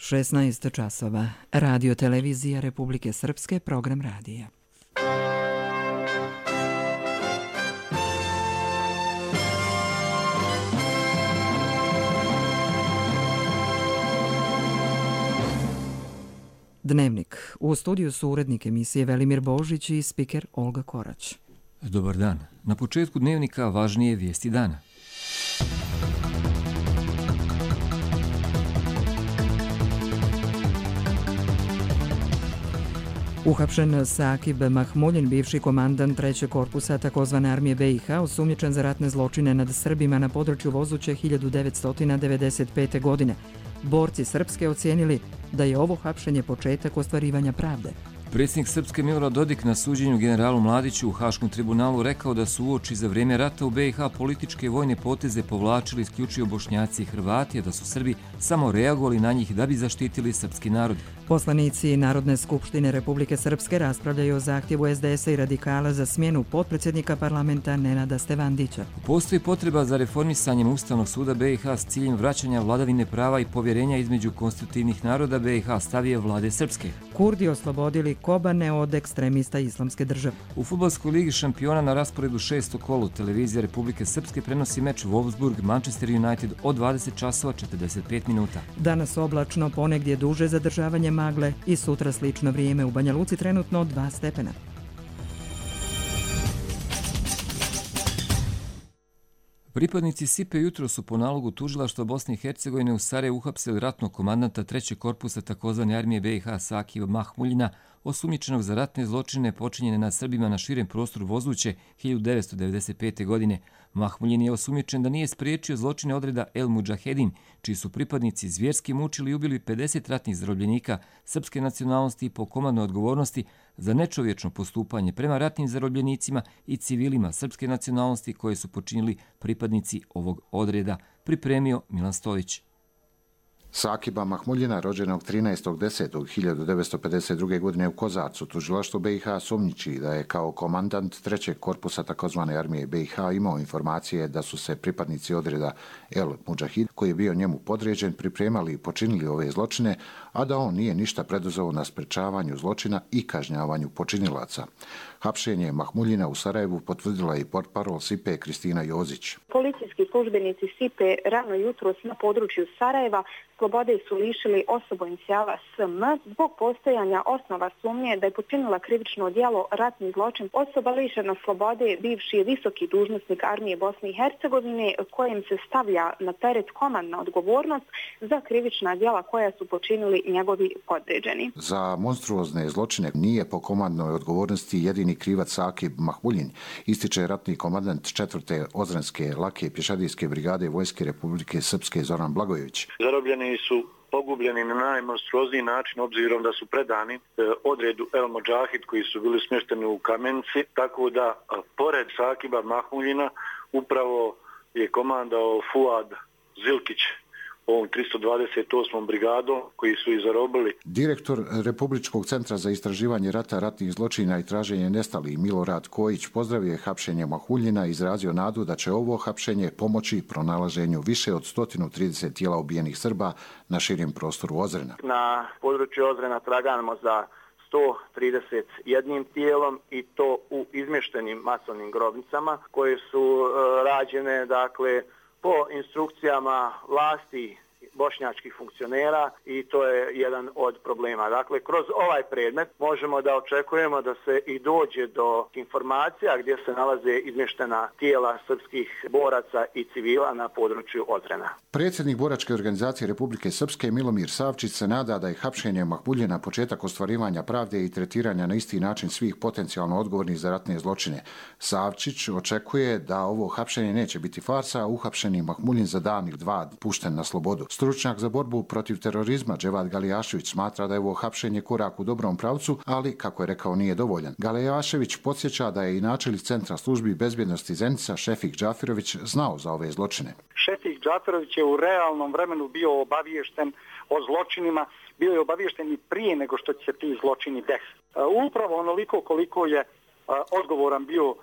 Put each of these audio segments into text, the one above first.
16 časova. Radio televizija Republike Srpske, program radija. Dnevnik. U studiju su urednik emisije Velimir Božić i spiker Olga Korać. Dobar dan. Na početku dnevnika važnije vijesti dana. Uhapšen Sakib Mahmuljin, bivši komandant 3. korpusa takozvane armije BiH, osumnjičen za ratne zločine nad Srbima na području Vozuće 1995. godine. Borci Srpske ocijenili da je ovo hapšenje početak ostvarivanja pravde. Predsjednik Srpske Milorad Dodik na suđenju generalu Mladiću u Haškom tribunalu rekao da su uoči za vrijeme rata u BiH političke i vojne poteze povlačili isključivo Bošnjaci i Hrvati, a da su Srbi samo reagovali na njih da bi zaštitili srpski narod. Poslanici Narodne skupštine Republike Srpske raspravljaju o zahtjevu SDS-a i radikala za smjenu potpredsjednika parlamenta Nenada Stevandića. Postoji potreba za reformisanjem Ustavnog suda BiH s ciljem vraćanja vladavine prava i povjerenja između konstitutivnih naroda BiH, stavije vlade Srpske. Kurdi oslobodili Kobane od ekstremista Islamske države. U fudbalskoj ligi šampiona na rasporedu 6. kolu televizija Republike Srpske prenosi meč Wolfsburg-Manchester United od 20 časova 45 minuta. Danas oblačno, ponegdje duže zadržavanje magle i sutra slično vrijeme, u Banja Luci trenutno 2 stepena. Pripadnici SIPE jutro su po nalogu tužilaštva Bosne i Hercegovine u Sarajevu uhapsili ratnog komandanta 3. korpusa takozvane armije BiH Sakiba Mahmuljina, osumnjičenog za ratne zločine počinjene nad Srbima na širem prostoru Vozuće 1995. godine. Mahmuljin je osumnjičen da nije spriječio zločine odreda El Mudžahedin, čiji su pripadnici zvjerski mučili i ubili 50 ratnih zarobljenika srpske nacionalnosti po komandnoj odgovornosti za nečovječno postupanje prema ratnim zarobljenicima i civilima srpske nacionalnosti koje su počinili pripadnici ovog odreda, pripremio Milan Stojić. Sakiba Mahmuljina, rođenog 13.10.1952. godine u Kozarcu, tužilaštvo BiH sumnjiči da je kao komandant 3. korpusa takozvane armije BiH imao informacije da su se pripadnici odreda El Mudžahid, koji je bio njemu podređen, pripremali i počinili ove zločine, a da on nije ništa preduzeo na sprečavanju zločina i kažnjavanju počinilaca. Hapšenje Mahmuljina u Sarajevu potvrdila i portparol SIPE Kristina Jozić. Policijski službenici SIPE rano jutros na području Sarajeva slobode su lišili osobu inicijala SM zbog postojanja osnova sumnje da je počinila krivično djelo ratni zločin. Osoba lišena slobode bivši visoki dužnosnik armije Bosne i Hercegovine, kojem se stavlja na teret komandna odgovornost za krivična djela koja su počinili njegovi podređeni. Za monstruozne zločine nije po komandnoj odgovornosti jedini krivac Sakib Mahmuljin, ističe ratni komandant 4. Ozrenske lake pješadijske brigade Vojske Republike Srpske Zoran Blagojević. Zarobljeni su pogubljeni na najmonstruozniji način obzirom da su predani odredu El Mudžahid koji su bili smješteni u Kamenici, tako da pored Sakiba Mahmuljina upravo je komandao Fuad Zilkić ovom 328. brigadom koji su ih zarobili. Direktor Republičkog centra za istraživanje rata, ratnih zločina i traženje nestalih Milorad Kojić pozdravio je hapšenje Mahmuljina i izrazio nadu da će ovo hapšenje pomoći pronalaženju više od 130 tijela ubijenih Srba na širem prostoru Ozrena. Na području Ozrena tragamo za 131 tijelom i to u izmještenim masovnim grobnicama koje su rađene, dakle, po instrukcijama vlasti bošnjačkih funkcionera i to je jedan od problema. Dakle, kroz ovaj predmet možemo da očekujemo da se i dođe do informacija gdje se nalaze izmještena tijela srpskih boraca i civila na području Ozrena. Predsjednik Boračke organizacije Republike Srpske Milomir Savčić se nada da je hapšenje Mahmuljina početak ostvarivanja pravde i tretiranja na isti način svih potencijalno odgovornih za ratne zločine. Savčić očekuje da ovo hapšenje neće biti farsa, a uhapšeni Mahmuljin za danih 2 pušten na slobodu. Stručnjak za borbu protiv terorizma Dževad Galijašević smatra da je ovo hapšenje korak u dobrom pravcu, ali, kako je rekao, nije dovoljan. Galijašević podsjeća da je i načelnik Centra službi bezbjednosti Zenica Šefik Džafirović znao za ove zločine. Šefik Džafirović je u realnom vremenu bio obaviješten o zločinima, bio je obaviješten i prije nego što će se ti zločini desiti. Upravo onoliko koliko je odgovoran bio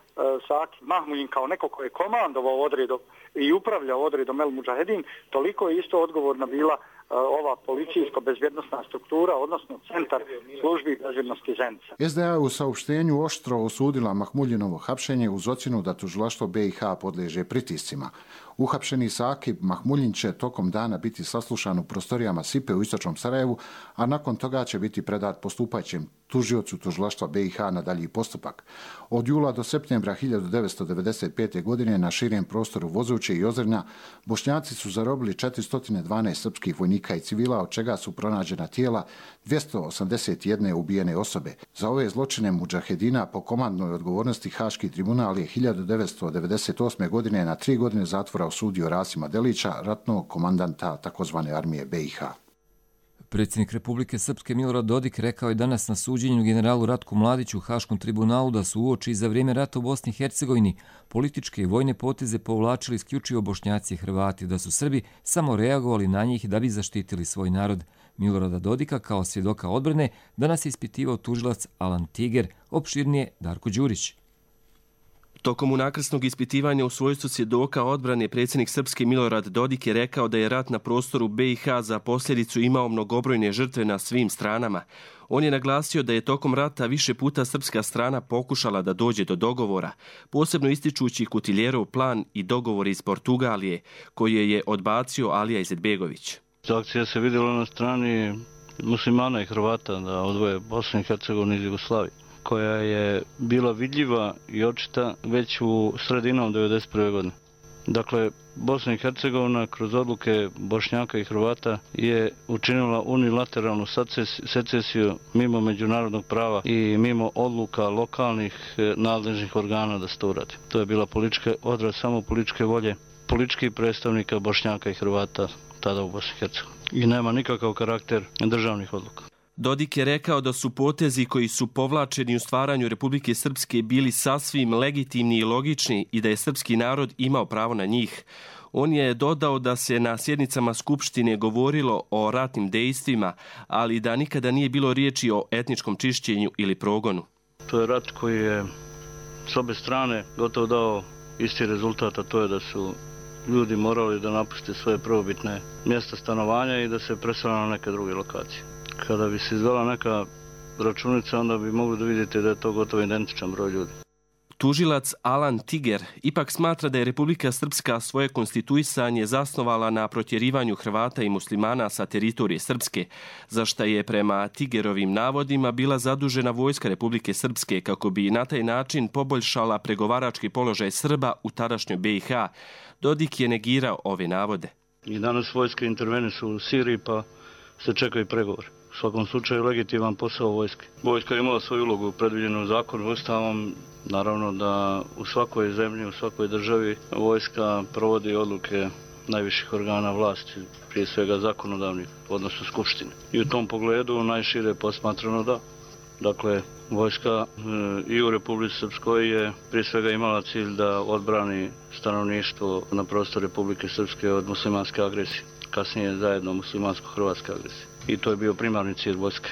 Saki Mahmuljin kao neko ko je komandovao odredom i upravljao odredom El Mudžahedin, toliko je isto odgovorna bila ova policijsko-bezbjednostna struktura, odnosno centar službi bezbjednosti Zenica. SDA je u saopštenju oštro osudila Mahmuljinovo hapšenje uz ocjenu da tužilaštvo BiH podliježe pritiscima. Uhapšeni Saki Mahmuljin će tokom dana biti saslušan u prostorijama SIPE u istočnom Sarajevu, a nakon toga će biti predat postupajućem tužiocu tužilaštva BiH na dalji postupak. Od jula do septembra 1995. godine na širem prostoru Vozuće i Ozrnja Bošnjaci su zarobili 412 srpskih vojnika i civila, od čega su pronađena tijela 281 ubijene osobe. Za ove zločine mudžahedina po komandnoj odgovornosti Haški tribunal je 1998. godine na 3 godine zatvora osudio Rasima Delića, ratnog komandanta tzv. armije BiH. Predsjednik Republike Srpske Milorad Dodik rekao je danas na suđenju generalu Ratku Mladiću u Haškom tribunalu da su uoči za vrijeme rata u Bosni i Hercegovini političke i vojne poteze povlačili isključivo Bošnjaci i Hrvati, da su Srbi samo reagovali na njih da bi zaštitili svoj narod. Milorada Dodika kao svjedoka odbrane danas je ispitivao tužilac Alan Tiger, opširnije Darko Đurić. Tokom unakrsnog ispitivanja u svojstvu svjedoka odbrane predsjednik Srpske Milorad Dodik je rekao da je rat na prostoru BiH za posljedicu imao mnogobrojne žrtve na svim stranama. On je naglasio da je tokom rata više puta srpska strana pokušala da dođe do dogovora, posebno ističući Kutiljerov plan i dogovor iz Portugalije, koje je odbacio Alija Izetbegović. Akcija se vidjela na strani muslimana i Hrvata da odvoje Bosnu i Hercegovinu iz Jugoslavije, koja je bila vidljiva i očita već u sredinom 1991. godine. Dakle, Bosna i Hercegovina kroz odluke Bošnjaka i Hrvata je učinila unilateralnu secesiju mimo međunarodnog prava i mimo odluka lokalnih nadležnih organa da se to uradi. To je bila odraz samo političke volje političkih predstavnika Bošnjaka i Hrvata tada u Bosni i Hercegovini. I nema nikakav karakter državnih odluka. Dodik je rekao da su potezi koji su povlačeni u stvaranju Republike Srpske bili sasvim legitimni i logični i da je srpski narod imao pravo na njih. On je dodao da se na sjednicama Skupštine govorilo o ratnim dejstvima, ali da nikada nije bilo riječi o etničkom čišćenju ili progonu. To je rat koji je s obe strane gotovo dao isti rezultat, a to je da su ljudi morali da napuste svoje prvobitne mjesta stanovanja i da se presele na neke druge lokacije. Kada bi se izvela neka računica, onda bi mogli da vidite da je to gotovo identičan broj ljudi. Tužilac Alan Tiger ipak smatra da je Republika Srpska svoje konstituisanje zasnovala na protjerivanju Hrvata i muslimana sa teritorije Srpske, za šta je prema Tigerovim navodima bila zadužena vojska Republike Srpske kako bi na taj način poboljšala pregovarački položaj Srba u tadašnjoj BiH. Dodik je negirao ove navode. I danas vojske intervenišu u Siriji pa se čekaju pregovori. U svakom slučaju legitiman posao vojske. Vojska je imala svoju ulogu predviđenu zakonom i Ustavom. Naravno da u svakoj zemlji, u svakoj državi vojska provodi odluke najviših organa vlasti, prije svega zakonodavnih, odnosno Skupštine. I u tom pogledu najšire posmatrano da. Dakle, vojska i u Republici Srpskoj je prije svega imala cilj da odbrani stanovništvo na prostoru Republike Srpske od muslimanske agresije. Kasnije zajedno muslimansko-hrvatske agresije. I to je bio primarni cilj vojske.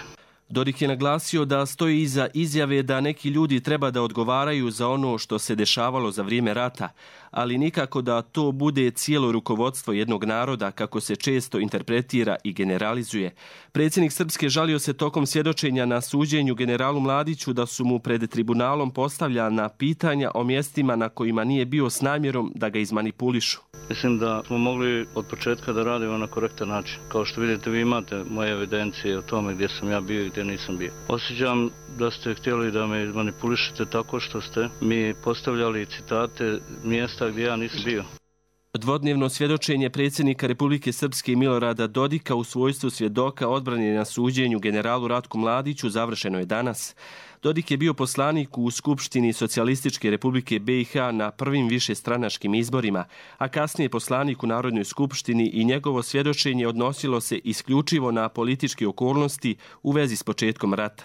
Dodik je naglasio da stoji iza izjave da neki ljudi treba da odgovaraju za ono što se dešavalo za vrijeme rata, ali nikako da to bude cijelo rukovodstvo jednog naroda, kako se često interpretira i generalizuje. Predsjednik Srpske žalio se tokom svjedočenja na suđenju generalu Mladiću da su mu pred tribunalom postavljana pitanja o mjestima na kojima nije bio s namjerom da ga izmanipulišu. Mislim da smo mogli od početka da radimo na korektan način. Kao što vidite, vi imate moje evidencije o tome gdje sam ja bio i gdje nisam bio. Osjećam da ste htjeli da me izmanipulišete tako što ste mi postavljali citate mjesta gdje ja nisam bio. Dvodnevno svjedočenje predsjednika Republike Srpske Milorada Dodika u svojstvu svjedoka odbrane na suđenju generalu Ratku Mladiću završeno je danas. Dodik je bio poslanik u Skupštini Socijalističke Republike BiH na prvim višestranačkim izborima, a kasnije poslanik u Narodnoj skupštini i njegovo svjedočenje odnosilo se isključivo na političke okolnosti u vezi s početkom rata.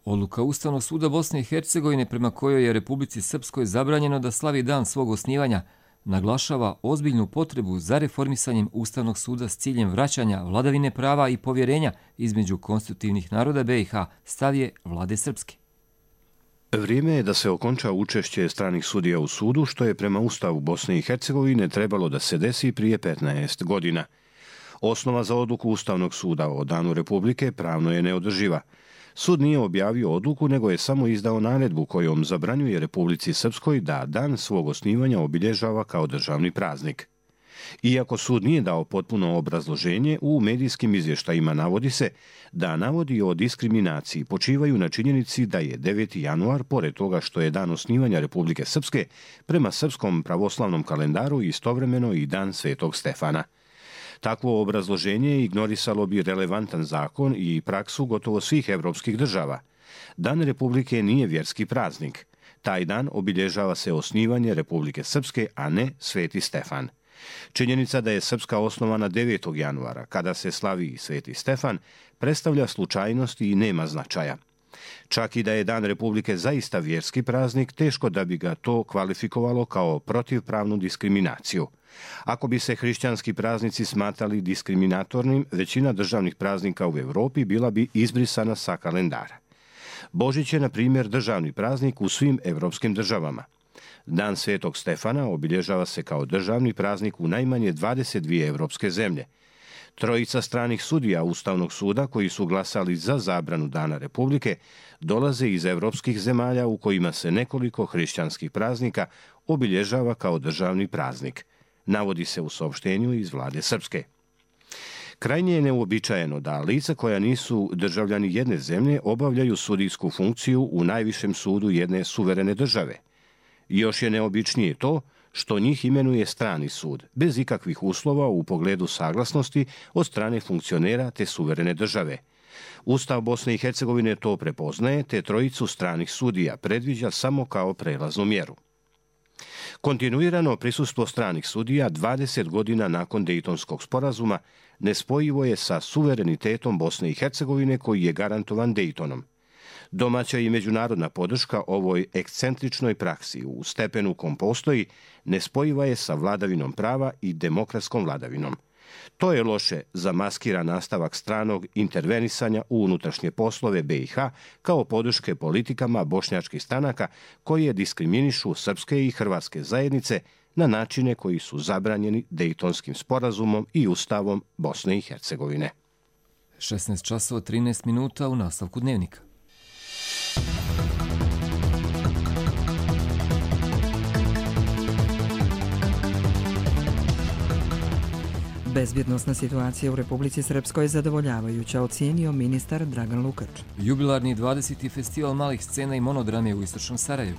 Odluka Ustavnog suda Bosne i Hercegovine prema kojoj je Republici Srpskoj zabranjeno da slavi dan svog osnivanja naglašava ozbiljnu potrebu za reformisanjem Ustavnog suda s ciljem vraćanja vladavine prava i povjerenja između konstitutivnih naroda BiH, stav je vlade Srpske. Vrijeme je da se okonča učešće stranih sudija u sudu, što je prema Ustavu Bosne i Hercegovine trebalo da se desi prije 15 godina. Osnova za odluku Ustavnog suda o Danu Republike pravno je neodrživa. Sud nije objavio odluku, nego je samo izdao naredbu kojom zabranjuje Republici Srpskoj da dan svog osnivanja obilježava kao državni praznik. Iako sud nije dao potpuno obrazloženje, u medijskim izvještajima navodi se da navodi o diskriminaciji počivaju na činjenici da je 9. januar, pored toga što je dan osnivanja Republike Srpske, prema srpskom pravoslavnom kalendaru istovremeno i dan Svetog Stefana. Takvo obrazloženje ignorisalo bi relevantan zakon i praksu gotovo svih evropskih država. Dan Republike nije vjerski praznik. Taj dan obilježava se osnivanje Republike Srpske, a ne Sveti Stefan. Činjenica da je Srpska osnovana 9. januara, kada se slavi Sveti Stefan, predstavlja slučajnost i nema značaja. Čak i da je Dan Republike zaista vjerski praznik, teško da bi ga to kvalifikovalo kao protivpravnu diskriminaciju. Ako bi se hrišćanski praznici smatrali diskriminatornim, većina državnih praznika u Europi bila bi izbrisana sa kalendara. Božić je, na primjer, državni praznik u svim evropskim državama. Dan Svetog Stefana obilježava se kao državni praznik u najmanje 22 evropske zemlje. Trojica stranih sudija Ustavnog suda koji su glasali za zabranu Dana Republike dolaze iz evropskih zemalja u kojima se nekoliko hrišćanskih praznika obilježava kao državni praznik. Navodi se u saopštenju iz vlade Srpske. Krajnje je neuobičajeno da lica koja nisu državljani jedne zemlje obavljaju sudijsku funkciju u najvišem sudu jedne suverene države. Još je neobičnije to što njih imenuje strani sud, bez ikakvih uslova u pogledu saglasnosti od strane funkcionera te suverene države. Ustav Bosne i Hercegovine to prepoznaje, te trojicu stranih sudija predviđa samo kao prelaznu mjeru. Kontinuirano prisustvo stranih sudija 20 godina nakon Dejtonskog sporazuma nespojivo je sa suverenitetom Bosne i Hercegovine koji je garantovan Dejtonom. Domaća i međunarodna podrška ovoj ekscentričnoj praksi u stepenu kom postoji nespojiva je sa vladavinom prava i demokratskom vladavinom. To je loše za maskiran nastavak stranog intervenisanja u unutrašnje poslove BiH kao podrške politikama bošnjačkih stranaka koje diskriminišu srpske i hrvatske zajednice na načine koji su zabranjeni Dejtonskim sporazumom i Ustavom Bosne i Hercegovine. 16 časova 13 minuta u nastavku dnevnika. Bezbjednosna situacija u Republici Srpskoj je zadovoljavajuća, ocijenio ministar Dragan Lukač. Jubilarni 20. festival malih scena i monodrame u istočnom Sarajevu.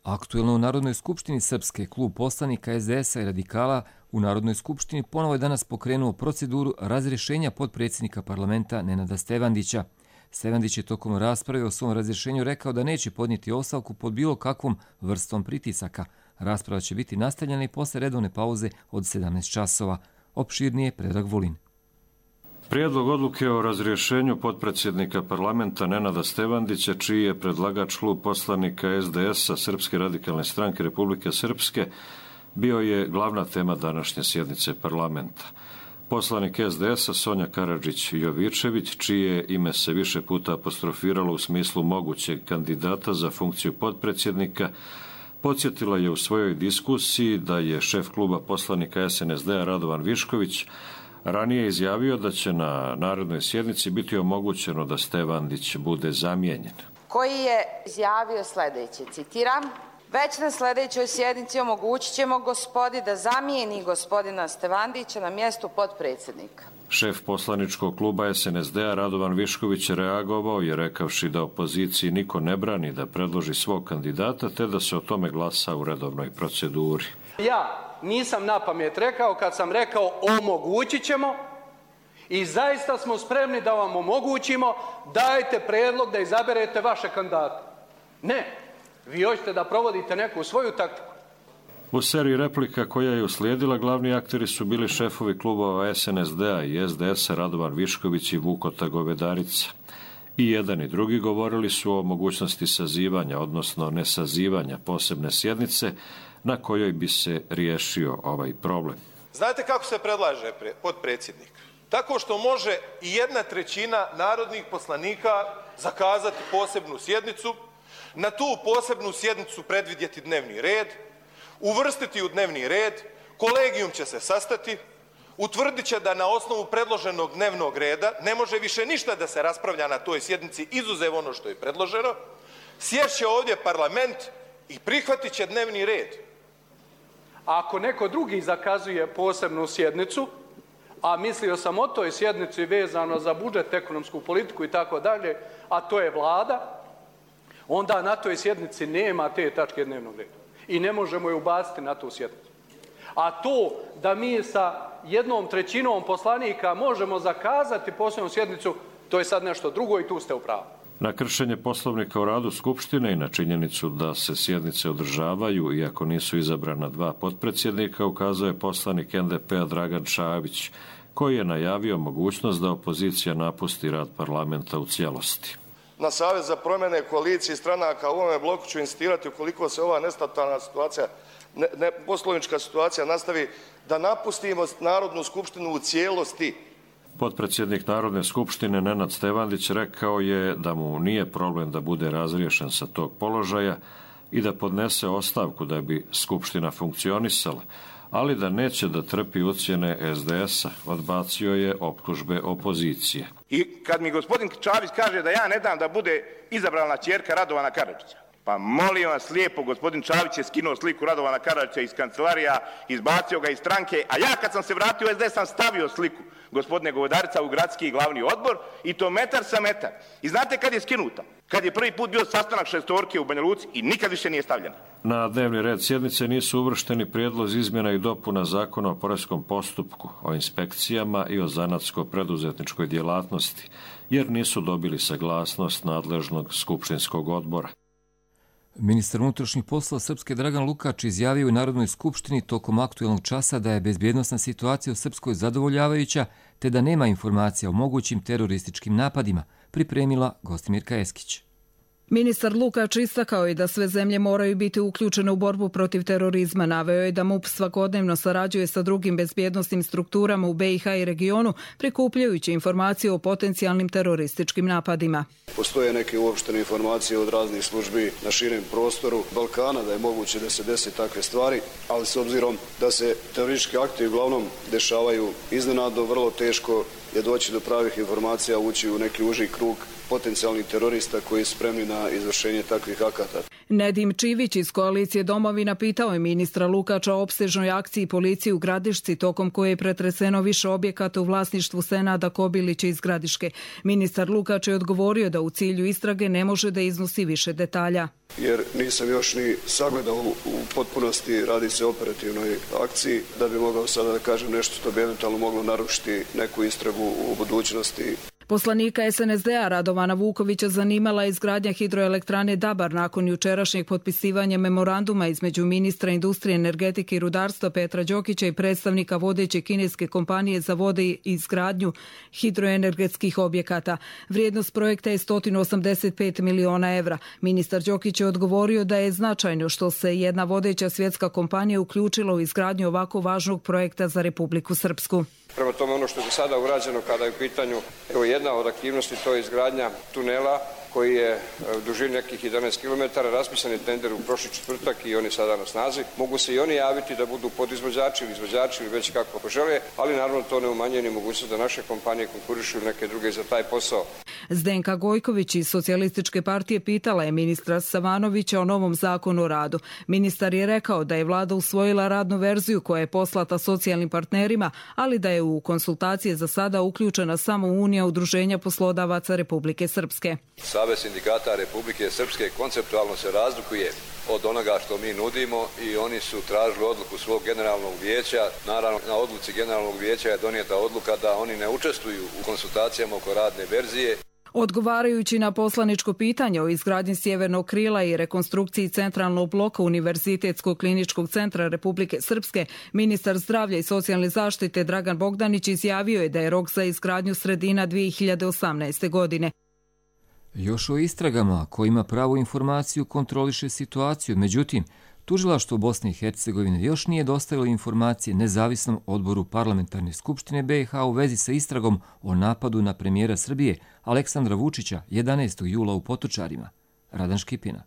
Aktuelno u Narodnoj skupštini Srpske klub poslanika SDS-a i radikala u Narodnoj skupštini ponovo je danas pokrenuo proceduru razrješenja potpredsjednika parlamenta Nenada Stevandića. Stevandić je tokom rasprave o svom razrješenju rekao da neće podnijeti ostavku pod bilo kakvom vrstom pritisaka. Rasprava će biti nastavljena i posle redovne pauze od 17 časova. Opširnije Predrag Vulin. Prijedlog odluke o razrješenju potpredsjednika parlamenta Nenada Stevandića, čiji je predlagač klub poslanika SDS-a Srpske radikalne stranke Republike Srpske, bio je glavna tema današnje sjednice parlamenta. Poslanik SDS-a Sonja Karadžić-Jovičević, čije ime se više puta apostrofiralo u smislu mogućeg kandidata za funkciju potpredsjednika, podsjetila je u svojoj diskusiji da je šef kluba poslanika SNSD-a Radovan Višković ranije izjavio da će na narednoj sjednici biti omogućeno da Stevandić bude zamijenjen. Koji je izjavio sljedeće, citiram: već na sljedećoj sjednici omogućit ćemo gospodi da zamijeni gospodina Stevandića na mjestu potpredsjednika. Šef poslaničkog kluba SNSD-a Radovan Višković je reagovao i rekavši da opoziciji niko ne brani da predloži svog kandidata te da se o tome glasa u redovnoj proceduri. Ja nisam na pamet rekao kad sam rekao omogućit ćemo i zaista smo spremni da vam omogućimo, dajte predlog da izaberete vaše kandidate. Ne, vi hoćete da provodite neku svoju taktiku. U seriji replika koja je uslijedila, glavni akteri su bili šefovi klubova SNSD-a i SDS-a Radovan Višković i Vukota Govedarica. I jedan i drugi govorili su o mogućnosti sazivanja, odnosno nesazivanja posebne sjednice na kojoj bi se riješio ovaj problem. Znate kako se predlaže potpredsjednik? tako što može i 1/3 narodnih poslanika zakazati posebnu sjednicu, na tu posebnu sjednicu predvidjeti dnevni red, uvrstiti u dnevni red, kolegijum će se sastati, utvrdit će da na osnovu predloženog dnevnog reda ne može više ništa da se raspravlja na toj sjednici izuzev ono što je predloženo, sješće ovdje parlament i prihvatit će dnevni red. A ako neko drugi zakazuje posebnu sjednicu, a mislio sam o toj sjednici vezano za budžet, ekonomsku politiku i tako dalje, a to je vlada, onda na toj sjednici nema te tačke dnevnog reda i ne možemo je ubaciti na tu sjednicu. A to da mi sa 1/3 poslanika možemo zakazati posebnu sjednicu, to je sad nešto drugo i tu ste u pravu. Na kršenje poslovnika o radu Skupštine i na činjenicu da se sjednice održavaju iako nisu izabrana 2 potpredsjednika ukazuje poslanik NDP-a Dragan Šabić, koji je najavio mogućnost da opozicija napusti rad parlamenta u cijelosti. Na Savez za promjene koalicije stranaka u ovome bloku ću insistirati ukoliko se ova nestabilna situacija, poslovnička situacija nastavi, da napustimo Narodnu skupštinu u cijelosti. Potpredsjednik Narodne skupštine Nenad Stevandić rekao je da mu nije problem da bude razriješen sa tog položaja i da podnese ostavku da bi skupština funkcionisala, ali da neće da trpi ucjene SDS-a. Odbacio je optužbe opozicije. I kad mi gospodin Čavić kaže da ja ne dam da bude izabrana ćerka Radovana Karadžića, pa molim vas lijepo, gospodin Čavić je skinuo sliku Radovana Karadžića iz kancelarija, izbacio ga iz stranke, a ja kad sam se vratio u SDS sam stavio sliku gospodine Govedarica u gradski glavni odbor i to metar sa metar. I znate kad je skinuta? Kad je prvi put bio sastanak šestorke u Banja Luci i nikad više nije stavljena. Na dnevni red sjednice nisu uvršteni prijedlozi izmjena i dopuna Zakona o poreskom postupku, o inspekcijama i o zanatsko-preduzetničkoj djelatnosti, jer nisu dobili saglasnost nadležnog skupštinskog odbora. Ministar unutrašnjih poslova Srpske Dragan Lukač izjavio u Narodnoj skupštini tokom aktuelnog časa da je bezbjednosna situacija u Srpskoj zadovoljavajuća, te da nema informacija o mogućim terorističkim napadima, pripremila Gostimirka Eskić. Ministar Lukač istakao je da sve zemlje moraju biti uključene u borbu protiv terorizma. Naveo je da MUP svakodnevno sarađuje sa drugim bezbjednosnim strukturama u BiH i regionu, prikupljajući informacije o potencijalnim terorističkim napadima. Postoje neke uopštene informacije od raznih službi na širem prostoru Balkana da je moguće da se desi takve stvari, ali s obzirom da se teroristički akti uglavnom dešavaju iznenadno, vrlo teško je doći do pravih informacija, ući u neki uži krug potencijalnih terorista koji su spremni na izvršenje takvih akata. Nedim Čivić iz koalicije Domovina pitao je ministra Lukača o opsežnoj akciji policije u Gradišci, tokom koje je pretreseno više objekata u vlasništvu Senada Kobilića iz Gradiške. Ministar Lukač je odgovorio da u cilju istrage ne može da iznosi više detalja. Jer nisam još ni sagledao u potpunosti, radi se o operativnoj akciji, da bi mogao sada da kažem nešto što bi eventualno moglo narušiti neku istragu u budućnosti. Poslanika SNSD-a Radovana Vukovića zanimala je izgradnja hidroelektrane Dabar nakon jučerašnjeg potpisivanja memoranduma između ministra industrije, energetike i rudarstva Petra Đokića i predstavnika vodeće kineske kompanije za vode i izgradnju hidroenergetskih objekata. Vrijednost projekta je 185 miliona evra. Ministar Đokić je odgovorio da je značajno što se jedna vodeća svjetska kompanija uključila u izgradnju ovako važnog projekta za Republiku Srpsku. Prema tome, ono što je do sada urađeno kada je u pitanju, evo jedna od aktivnosti, to je izgradnja tunela koji je u dužini nekih 11 km, raspisan je tender u prošli četvrtak i on je sada na snazi. Mogu se i oni javiti da budu podizvođači ili izvođači ili već kako požele, ali naravno to ne umanjuje ni mogućnost da naše kompanije konkurišu ili neke druge za taj posao. Zdenka Gojković iz Socijalističke partije pitala je ministra Savanovića o novom zakonu o radu. Ministar je rekao da je vlada usvojila radnu verziju koja je poslata socijalnim partnerima, ali da je u konsultacije za sada uključena samo Unija udruženja poslodavaca Republike Srpske. Savez sindikata Republike Srpske konceptualno se razlikuje od onoga što mi nudimo i oni su tražili odluku svog generalnog vijeća. Naravno, na odluci generalnog vijeća je donijeta odluka da oni ne učestvuju u konsultacijama oko radne verzije. Odgovarajući na poslaničko pitanje o izgradnji sjevernog krila i rekonstrukciji centralnog bloka Univerzitetskog kliničkog centra Republike Srpske, ministar zdravlja i socijalne zaštite Dragan Bogdanić izjavio je da je rok za izgradnju sredina 2018. godine. Još o istragama kojima pravu informaciju kontroliše situaciju, međutim, Tužilaštvo Bosne i Hercegovine još nije dostavilo informacije nezavisnom odboru Parlamentarne skupštine BiH u vezi sa istragom o napadu na premijera Srbije Aleksandra Vučića 11. jula u Potočarima. Radan Škipina.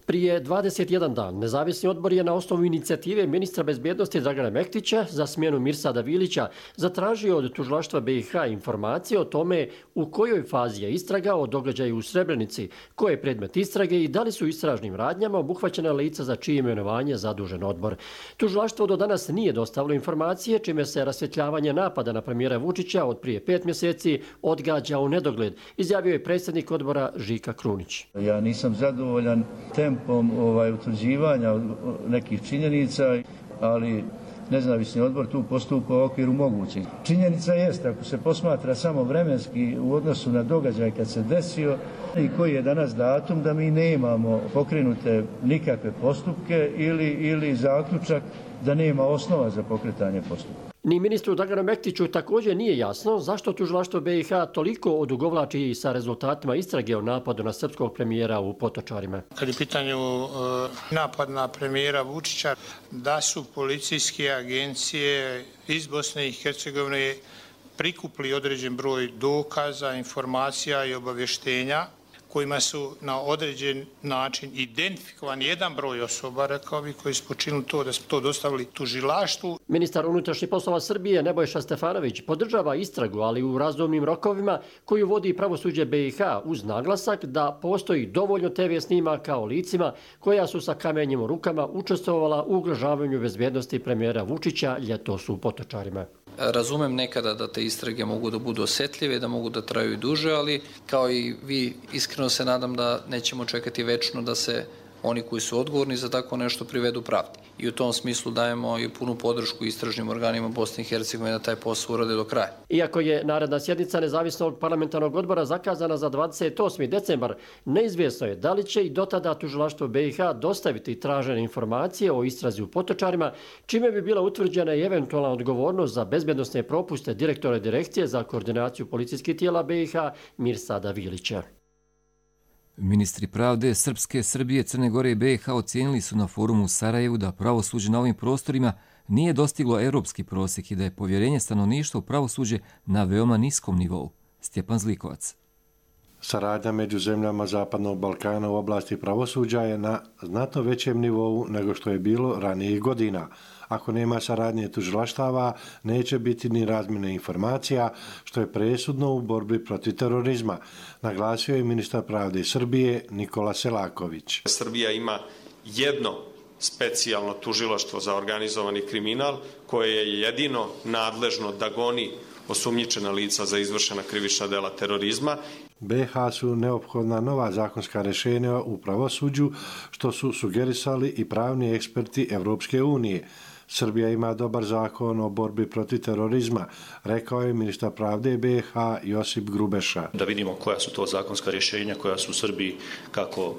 Prije 21 dan nezavisni odbor je na osnovu inicijative ministra bezbjednosti Dragana Mektića za smjenu Mirsada Vilića zatražio od tužilaštva BiH informacije o tome u kojoj fazi je istraga o događaju u Srebrenici, koje je predmet istrage i da li su istražnim radnjama obuhvaćena lica za čije imenovanje zadužen odbor. Tužilaštvo do danas nije dostavilo informacije, čime se rasvjetljavanje napada na premijera Vučića od prije 5 mjeseci odgađa u nedogled, izjavio je predsjednik odbora Žika Krunić. Ja nisam zadovoljan tempom utvrđivanja nekih činjenica, ali nezavisni odbor tu postupa u okviru mogućeg. Činjenica jeste, ako se posmatra samo vremenski u odnosu na događaj kad se desio i koji je danas datum, da mi nemamo pokrenute nikakve postupke ili zaključak da nema osnova za pokretanje postupka. Ni ministru Draganu Mektiću također nije jasno zašto tužilaštvo BiH toliko odugovlači sa rezultatima istrage o napadu na srpskog premijera u Potočarima. Kad je pitanju napad na premijera Vučića, da su policijske agencije iz Bosne i Hercegovine prikupili određen broj dokaza, informacija i obavještenja kojima su na određen način identifikovani jedan broj osoba, rekao bih, koji su počinili to, da su to dostavili tužilaštvu. Ministar unutrašnjih poslova Srbije Nebojša Stefanović podržava istragu, ali u razumnim rokovima koju vodi pravosuđe BiH uz naglasak da postoji dovoljno TV snimaka o licima koja su sa kamenjem u rukama učestvovala u ugrožavanju bezbjednosti premijera Vučića ljetos u Potočarima. Razumem nekada da te istrage mogu da budu osjetljive, da mogu da traju i duže, ali kao i vi iskreno se nadam da nećemo čekati večno da se oni koji su odgovorni za tako nešto privedu pravdi. I u tom smislu dajemo i punu podršku istražnim organima Bosne i Hercegovine da taj posao urade do kraja. Iako je naredna sjednica nezavisnog parlamentarnog odbora zakazana za 28. decembar, neizvjesno je da li će i do tada tužilaštvo BiH dostaviti tražene informacije o istrazi u Potočarima, čime bi bila utvrđena i eventualna odgovornost za bezbjednosne propuste direktora direkcije za koordinaciju policijskih tijela BiH Mirsada Vilića. Ministri pravde Srpske, Srbije, Crne Gore i BiH ocijenili su na forumu u Sarajevu da pravosuđe na ovim prostorima nije dostiglo europski prosjek i da je povjerenje stanovništva u pravosuđe na veoma niskom nivou. Stjepan Zlikovac. Saradnja među zemljama Zapadnog Balkana u oblasti pravosuđa je na znatno većem nivou nego što je bilo ranijih godina. Ako nema saradnje tužilaštava, neće biti ni razmjene informacija, što je presudno u borbi protiv terorizma, naglasio je ministar pravde Srbije Nikola Selaković. Srbija ima jedno specijalno tužilaštvo za organizovani kriminal koje je jedino nadležno da goni osumnjičena lica za izvršena krivična dela terorizma. BiH su neophodna nova zakonska rješenja u pravosuđu, što su sugerisali i pravni eksperti Evropske unije. Srbija ima dobar zakon o borbi protiv terorizma, rekao je ministar pravde BiH Josip Grubeša. Da vidimo koja su to zakonska rješenja koja su u Srbiji, kako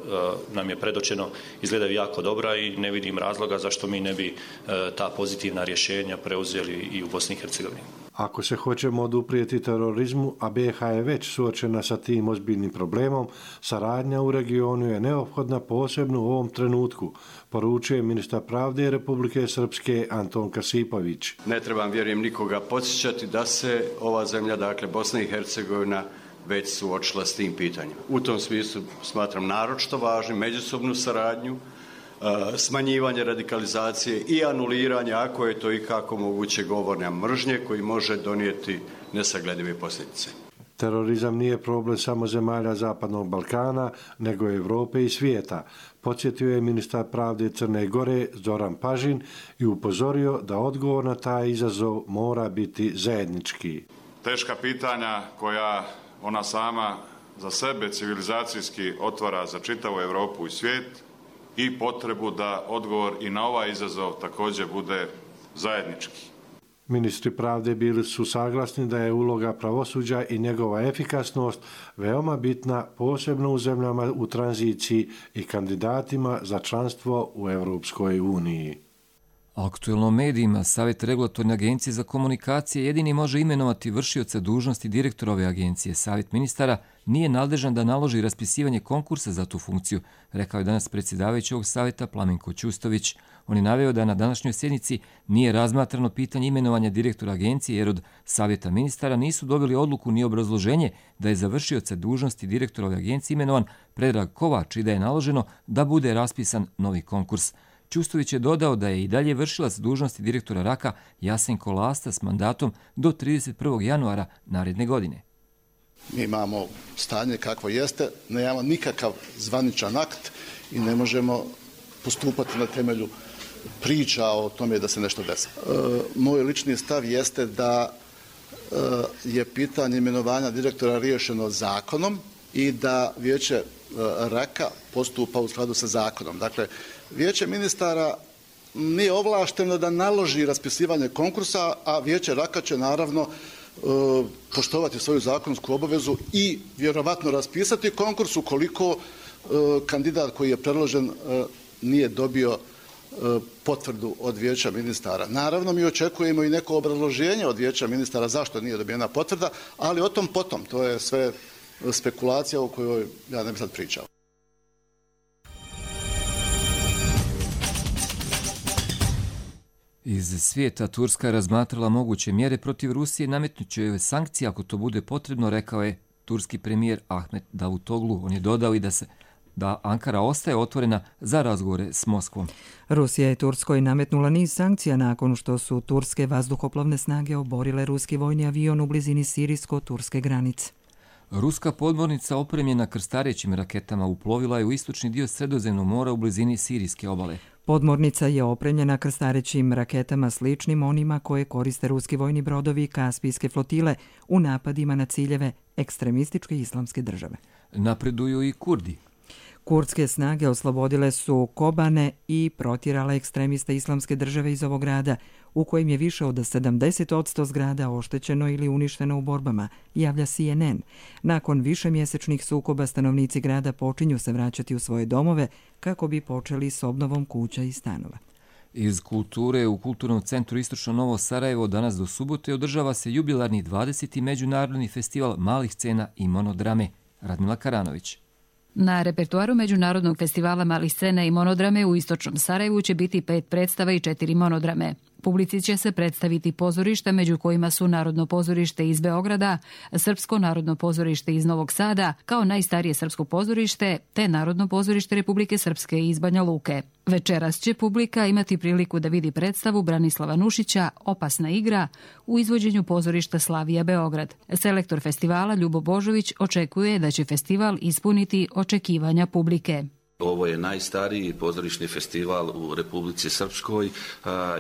nam je predočeno, izgledaju jako dobra i ne vidim razloga zašto mi ne bi ta pozitivna rješenja preuzeli i u Bosni i Hercegovini. Ako se hoćemo oduprijeti terorizmu, a BiH je već suočena sa tim ozbiljnim problemom, saradnja u regionu je neophodna posebno u ovom trenutku, poručuje ministar pravde Republike Srpske Anton Kasipović. Ne trebam, vjerujem, nikoga podsjećati da se ova zemlja, dakle Bosna i Hercegovina, već suočila s tim pitanjem. U tom smislu smatram naročito važnim međusobnu saradnju, smanjivanje radikalizacije i anuliranje, ako je to i kako moguće, govorne mržnje koji može donijeti nesagledive posljedice. Terorizam nije problem samo zemalja Zapadnog Balkana, nego i Evrope i svijeta, podsjetio je ministar pravde Crne Gore Zoran Pažin i upozorio da odgovor na taj izazov mora biti zajednički. Teška pitanja koja ona sama za sebe civilizacijski otvara za čitavu Evropu i svijet i potrebu da odgovor i na ovaj izazov također bude zajednički. Ministri pravde bili su saglasni da je uloga pravosuđa i njegova efikasnost veoma bitna, posebno u zemljama u tranziciji i kandidatima za članstvo u Europskoj uniji. Aktuelno medijima, Savjet regulatorne agencije za komunikacije jedini može imenovati vršioca dužnosti direktora ove agencije. Savjet ministara nije nadležan da naloži raspisivanje konkursa za tu funkciju, rekao je danas predsjedavajući ovog savjeta Plamenko Ćustović. On je naveo da na današnjoj sjednici nije razmatrano pitanje imenovanja direktora agencije jer od Savjeta ministara nisu dobili odluku ni obrazloženje da je za vršioca dužnosti direktora ove agencije imenovan Predrag Kovač i da je naloženo da bude raspisan novi konkurs. Ćustović je dodao da je i dalje vršilac dužnosti direktora RAK-a Jasenko Lasta s mandatom do 31. januara naredne godine. Mi imamo stanje kakvo jeste, nemamo nikakav zvaničan akt i ne možemo postupati na temelju priča o tome da se nešto desi. Moj lični stav jeste da je pitanje imenovanja direktora riješeno zakonom i da vijeće RAK-a postupa u skladu sa zakonom. Dakle, vijeće ministara nije ovlašteno da naloži raspisivanje konkursa, a vijeće RAK-a će naravno poštovati svoju zakonsku obavezu i vjerovatno raspisati konkurs ukoliko kandidat koji je predložen nije dobio potvrdu od vijeća ministara. Naravno, mi očekujemo i neko obrazloženje od vijeća ministara zašto nije dobijena potvrda, ali o tom potom, to je sve spekulacija o kojoj ja ne bih sad pričao. Iz svijeta Turska je razmatrala moguće mjere protiv Rusije, nametnuće joj sankcije ako to bude potrebno, rekao je turski premijer Ahmet Davutoglu. On je dodao i da Ankara ostaje otvorena za razgovore s Moskvom. Rusija je Turskoj nametnula niz sankcija nakon što su turske vazduhoplovne snage oborile ruski vojni avion u blizini sirijsko-turske granice. Ruska podmornica opremljena krstarećim raketama uplovila je u istočni dio Sredozemnog mora u blizini sirijske obale. Podmornica je opremljena krstarećim raketama sličnim onima koje koriste ruski vojni brodovi Kaspijske flotile u napadima na ciljeve ekstremističke islamske države. Napreduju i Kurdi. Kurdske snage oslobodile su Kobane i protjerale ekstremiste islamske države iz ovog grada, u kojem je više od 70% zgrada oštećeno ili uništeno u borbama, javlja CNN. Nakon višemjesečnih sukoba stanovnici grada počinju se vraćati u svoje domove kako bi počeli s obnovom kuća i stanova. Iz kulture u Kulturnom centru Istočno Novo Sarajevo danas do subote održava se jubilarni 20. međunarodni festival malih scena i monodrame. Radmila Karanović. Na repertuaru Međunarodnog festivala malih scena i monodrame u Istočnom Sarajevu će biti 5 predstava i 4 monodrame. Publici će se predstaviti pozorišta, među kojima su Narodno pozorište iz Beograda, Srpsko narodno pozorište iz Novog Sada, kao najstarije srpsko pozorište, te Narodno pozorište Republike Srpske iz Banja Luke. Večeras će publika imati priliku da vidi predstavu Branislava Nušića Opasna igra u izvođenju pozorišta Slavija Beograd. Selektor festivala Ljubo Božović očekuje da će festival ispuniti očekivanja publike. Ovo je najstariji pozorišni festival u Republici Srpskoj.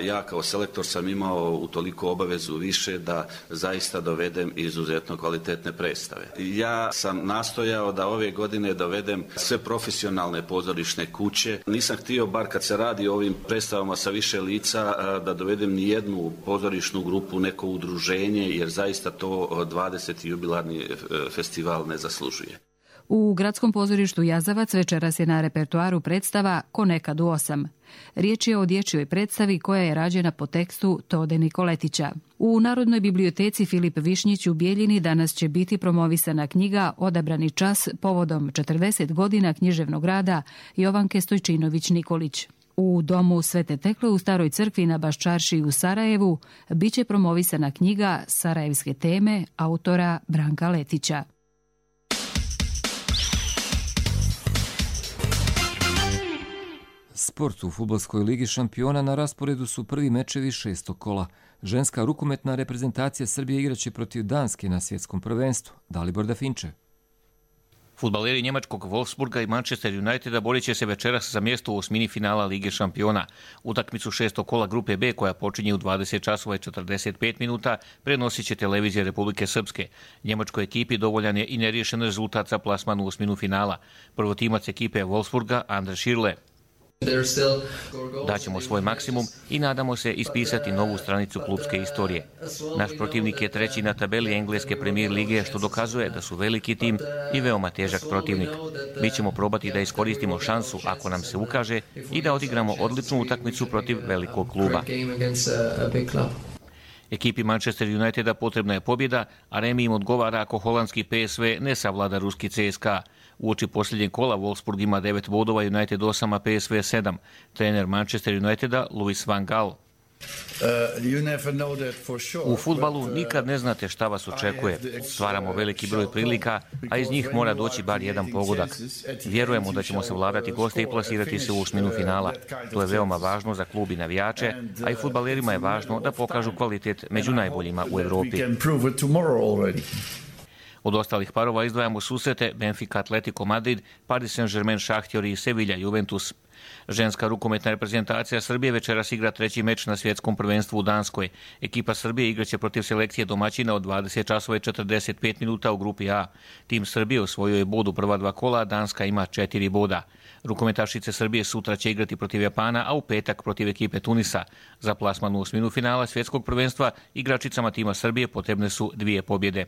Ja kao selektor sam imao utoliko obavezu više da zaista dovedem izuzetno kvalitetne predstave. Ja sam nastojao da ove godine dovedem sve profesionalne pozorišne kuće. Nisam htio, bar kad se radi o ovim predstavama sa više lica, da dovedem ni jednu pozorišnu grupu, neko udruženje, jer zaista to 20. jubilarni festival ne zaslužuje. U Gradskom pozorištu Jazavac večeras je na repertuaru predstava Ko nekad u 8. Riječ je o dječjoj predstavi koja je rađena po tekstu Tode Nikoletića. U Narodnoj biblioteci Filip Višnjić u Bijeljini danas će biti promovisana knjiga Odabrani čas povodom 40 godina književnog rada Jovanke Stojčinović-Nikolić. U domu Svete Tekle u Staroj crkvi na Baščaršiji u Sarajevu biće promovisana knjiga Sarajevske teme autora Branka Letića. Sport u fudbalskoj ligi šampiona na rasporedu su prvi mečevi 6. kola. Ženska rukometna reprezentacija Srbije igraće protiv Danske na svjetskom prvenstvu. Dalibor Dafinče. Fudbaleri njemačkog Wolfsburga i Manchester Uniteda borit će se večeras za mjesto u osmini finala Lige šampiona. Utakmicu 6. kola grupe B koja počinje u 20 časova i 45 minuta prenosit će televizija Republike Srpske. Njemačkoj ekipi dovoljan je i neriješen rezultat za plasman u osminu finala. Prvotimac ekipe Wolfsburga André Schirle. Daćemo svoj maksimum i nadamo se ispisati novu stranicu klubske istorije. Naš protivnik je treći na tabeli engleske premijer lige, što dokazuje da su veliki tim i veoma težak protivnik. Mi ćemo probati da iskoristimo šansu ako nam se ukaže i da odigramo odličnu utakmicu protiv velikog kluba. Ekipi Manchester Uniteda potrebna je pobjeda, a remi im odgovara ako holandski PSV ne savlada ruski CSKA. Uoči posljednjeg kola Wolfsburg ima 9 bodova, United 8, a PSV 7. Trener Manchester Uniteda Louis van Gaal. U fudbalu nikad ne znate šta vas očekuje. Stvaramo veliki broj prilika, a iz njih mora doći bar jedan pogodak. Vjerujemo da ćemo savladati goste i plasirati se u osminu finala. To je veoma važno za klub i navijače, a i fudbalerima je važno da pokažu kvalitet među najboljima u Europi. Od ostalih parova izdvajamo susrete Benfica Atletico Madrid, Paris Saint-Germain Šahtjor i Sevilla Juventus. Ženska rukometna reprezentacija Srbije večeras igra treći meč na svjetskom prvenstvu u Danskoj. Ekipa Srbije igraće protiv selekcije domaćina od 20:45 minuta u grupi A. Tim Srbije osvojio je bod u prva dva kola, a Danska ima 4 boda. Rukometašice Srbije sutra će igrati protiv Japana, a u petak protiv ekipe Tunisa. Za plasman u osminu finala svjetskog prvenstva igračicama tima Srbije potrebne su 2 pobjede.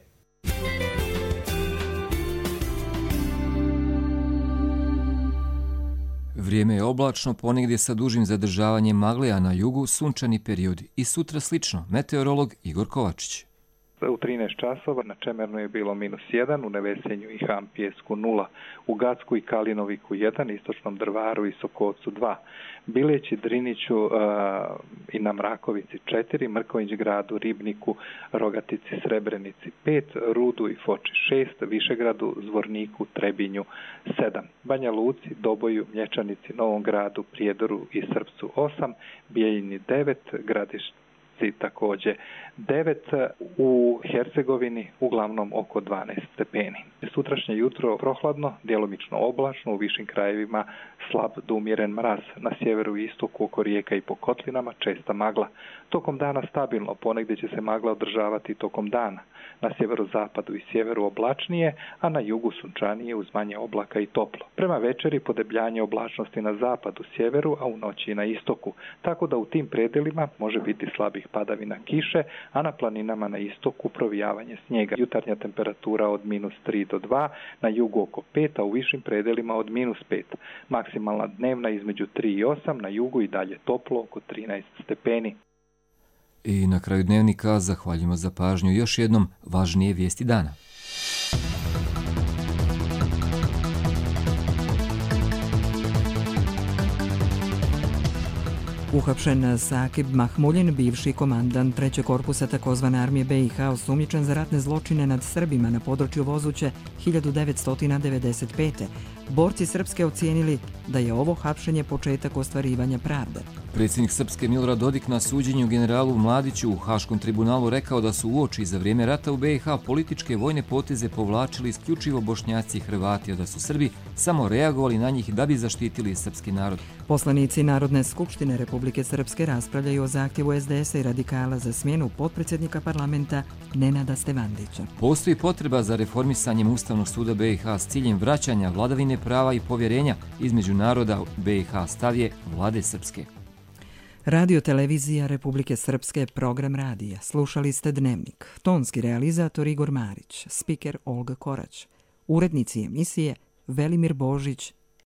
Vrijeme je oblačno, ponegdje sa dužim zadržavanjem magle, a na jugu sunčani period. I sutra slično, meteorolog Igor Kovačić. U 13 časova na Čemernu je bilo -1, u Nevesenju i Hampijesku 0, u Gacku i Kalinoviku 1, Istočnom Drvaru i Sokovcu 2, Bileći, Driniću i na Mrakovici 4, Mrkonjić Gradu, Ribniku, Rogatici, Srebrenici 5, Rudu i Foči 6, Višegradu, Zvorniku, Trebinju 7, Banja Luci, Doboju, Mlječanici, Novom Gradu, Prijedoru i Srpcu 8, Bijeljini 9, Gradišti također 9, u Hercegovini uglavnom oko 12 stepeni. Sutrašnje jutro prohladno, djelomično oblačno, u višim krajevima slab do umjeren mraz, na sjeveru i istoku oko rijeka i po kotlinama česta magla. Tokom dana stabilno, ponegdje će se magla održavati tokom dana. Na sjeverozapadu i sjeveru oblačnije, a na jugu sunčanije uz manje oblaka i toplo. Prema večeri podebljanje oblačnosti na zapadu, sjeveru, a u noći i na istoku, tako da u tim predelima može biti slabih padavina kiše, a na planinama na istoku provijavanje snijega. Jutarnja temperatura od -3 do 2, na jugu oko 5, a u višim predelima od -5. Maksimalna dnevna između 3 i 8, na jugu i dalje toplo oko 13 stepeni. I na kraju dnevnika zahvaljujemo za pažnju još jednom važnije vijesti dana. Uhapšen Sakib Mahmuljin, bivši komandant 3. korpusa takozvane armije BiH, osumnjičen za ratne zločine nad Srbima na području Vozuće 1995. Borci Srpske ocijenili da je ovo hapšenje početak ostvarivanja pravde. Predsjednik Srpske Milorad Dodik na suđenju generalu Mladiću u Haškom tribunalu rekao da su uoči za vrijeme rata u BiH političke vojne poteze povlačili isključivo Bošnjaci i Hrvati, a da su Srbi samo reagovali na njih da bi zaštitili srpski narod. Poslanici Narodne skupštine Republike Srpske raspravljaju o zahtjevu SDS-a i radikala za smjenu potpredsjednika parlamenta Nenada Stevandića. Postoji potreba za reformisanjem Ustavnog suda BiH s ciljem vraćanja vladavine prava i povjerenja između naroda BiH, stav je Vlade Srpske. Radio televizija Republike Srpske, program radija. Slušali ste Dnevnik. Tonski realizator Igor Marić, spiker Olga Korać. Urednici emisije Velimir Božić